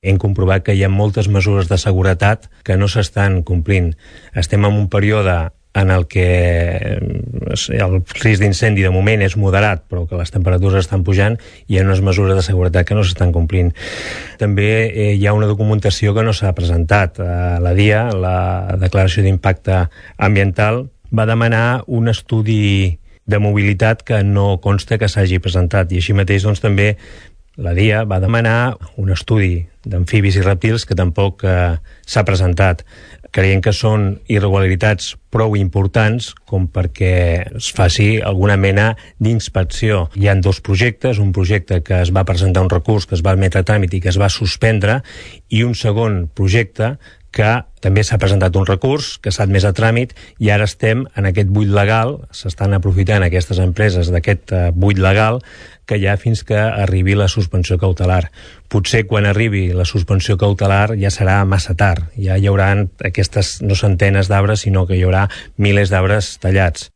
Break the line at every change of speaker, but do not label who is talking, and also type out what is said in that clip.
hem comprovat que hi ha moltes mesures de seguretat que no s'estan complint. Estem en un període en el que el risc d'incendi de moment és moderat, però que les temperatures estan pujant i hi ha unes mesures de seguretat que no s'estan complint. També hi ha una documentació que no s'ha presentat. La DIA, la Declaració d'Impacte Ambiental, va demanar un estudi de mobilitat que no consta que s'hagi presentat, i així mateix doncs, també la DIA va demanar un estudi d'amfibis i rèptils que tampoc s'ha presentat. Creiem que són irregularitats prou importants com perquè es faci alguna mena d'inspecció. Hi ha dos projectes, un projecte que es va presentar un recurs, que es va admetre a tràmit i que es va suspendre, i un segon projecte que també s'ha presentat un recurs, que s'ha admès a tràmit, i ara estem en aquest buit legal, s'estan aprofitant aquestes empreses d'aquest buit legal, que hi ha fins que arribi la suspensió cautelar. Potser quan arribi la suspensió cautelar ja serà massa tard, ja hi haurà aquestes no centenes d'arbres, sinó que hi haurà milers d'arbres tallats.